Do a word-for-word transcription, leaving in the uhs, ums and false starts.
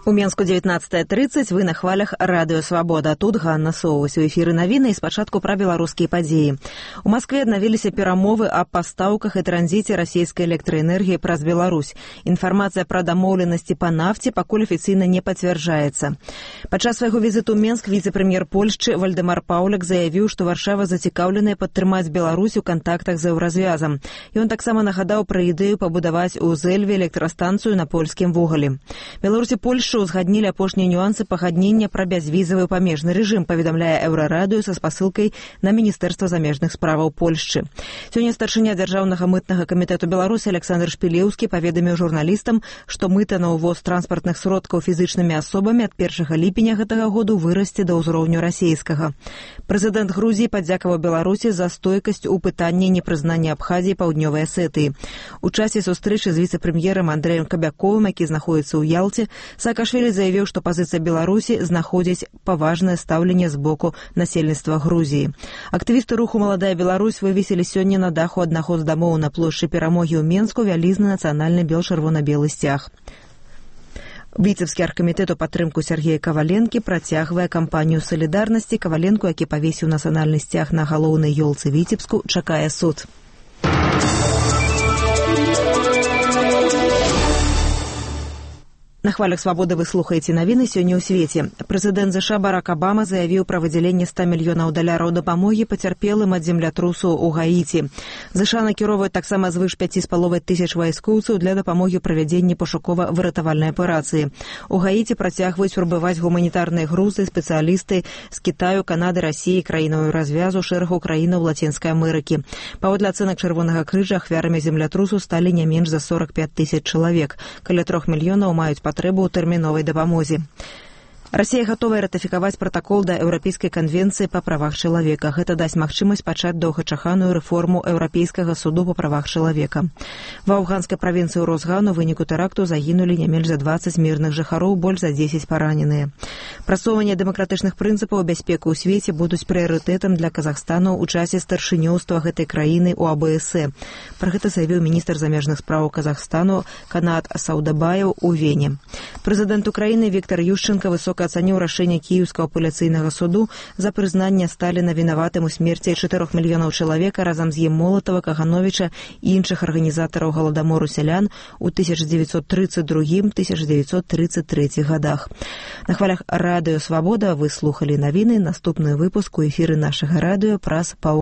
У Менску дзевятнаццатая трыццаць, вы на хвалях радыё «Свабода». Тут Ганна Соўвась. У эфіры навіны і спачатку пра беларускія падзеі. У Маскве аднавіліся перамовы аб пастаўках і транзіце расійскай электраэнергіі праз Беларусь. Інфармацыя пра дамоўленасці па нафце пакуль афіцыйна не пацвярджаецца. Падчас свайго візіту ў Менск віцэ-прэм'ер Польшчы Вальдэмар Паўляк заявіў, што Варшава зацікаўленая падтрымаць Беларусь у кантактах з еўразвязам. Ён таксама нагадаў пра ідэю пабудаваць у Зэльве электрастанцыю на польскім вугалі. Беларусь і Польшча узгаднілі апошнія нюансы пагаднення пра бязвізавы памежны рэжым, паведамляе Еўрарадыё са спасылкай на Міністэрства замежных справаў Польшчы. Сёння старшыня дзяржаўнага мытнага камітэту Беларусі Александр Шпілеўскі паведаміў журналістам, што мыта на ўвоз транспартных сродкаў фізычнымі асобамі ад першага ліпеня гэтага году вырасце да ўзроўню расійскага. Прэзідэнт Грузіі падзякаваў Беларусі за стойкасць у пытанні непрызнання Абхазіі і Паўднёвай Асетыі. У часе сустрэчы з віцэ-прэм'ерам Андрэем Кабяковым, які знаходзіцца ў Ялце, Саакашвілі заявіў, што пазіцыя Беларусі знаходзіць паважнае стаўленне з боку насельніцтва Грузіі. Актывісты руху «Маладая Беларусь» вывесілі сёння на даху аднаго з дамоў на плошчы Перамогі ў Менску вялізны нацыянальны бел-чырвона-белы сцяг. Віцебскі аргкамітэт у падтрымку Сергея Каваленкі працягвае кампанію салідарнасці. Каваленку, які павесіў нацыянальны сцяг на галоўнай ёлцы Віцебску, чакае суд. На хвалях «Свабоды» вы слухаеце навіны сёння ў свеце. Прэзідэнт ЗША Барак Абама заявіў пра выдзяленне ста мільёнаў даляраў дапамогі пацярпелым ад землятрусу ў Гаіці. ЗША накіроўваюць таксама звыш пяці з паловай тысяч вайскоўцаў для дапамогі правядзення пошукова-выратавальнай аперацыі. У Гаіці працягваюць прыбываць гуманітарныя грузы, спецыялісты з Кітаю, Канады, Расіі, краінаў развязу, шэрагу краінаў Лацінскай Амерыкі. Паводле ацэнак Чырвонага крыжа, ахвярамі землятрусу сталі не менш за сорак пяць тысяч чалавек. Каля трох мільёнаў маюць патрэбу ў тэрміновай дапамозе. Расія гатовая ратыфікаваць пратакол да Еўрапейскай канвенцыі па правах чалавека. Гэта дасць магчымасць пачаць доўгачаканую рэформу Еўрапейскага суду па правах чалавека. Ва афганскай правінцыі Розган у выніку тэракту загінулі не менш за дваццаць мірных жыхароў, больш за дзесяць параненыя. Прасоўванне дэмакратычных прынцыпаў бяспеку ў свеце будуць прыярытэтам для Казахстану ў часе старшынёўства гэтай краіны ў АБС. Пра гэта заявіў міністр замежных спраў Казахстану Канат Саудабаев у Вене. Прэзідэнт Украіны Віктор Ющенко высока ацаніў рашэнне кіеўскага апеляцыйнага суду за прызнанне Сталіна вінаватым у смерці чатырох мільёнаў чалавека разам з ім Молатава, Кагановіча і іншых арганізатараў галадамору сялян у тысяча дзевяцьсот трыццаць другім — тысяча дзевяцьсот трыццаць трэцім гадах. На хвалях радыё «Свабода» вы слухалі навіны. Наступны выпуск у эфіры нашага радыё праз паўгодзіны.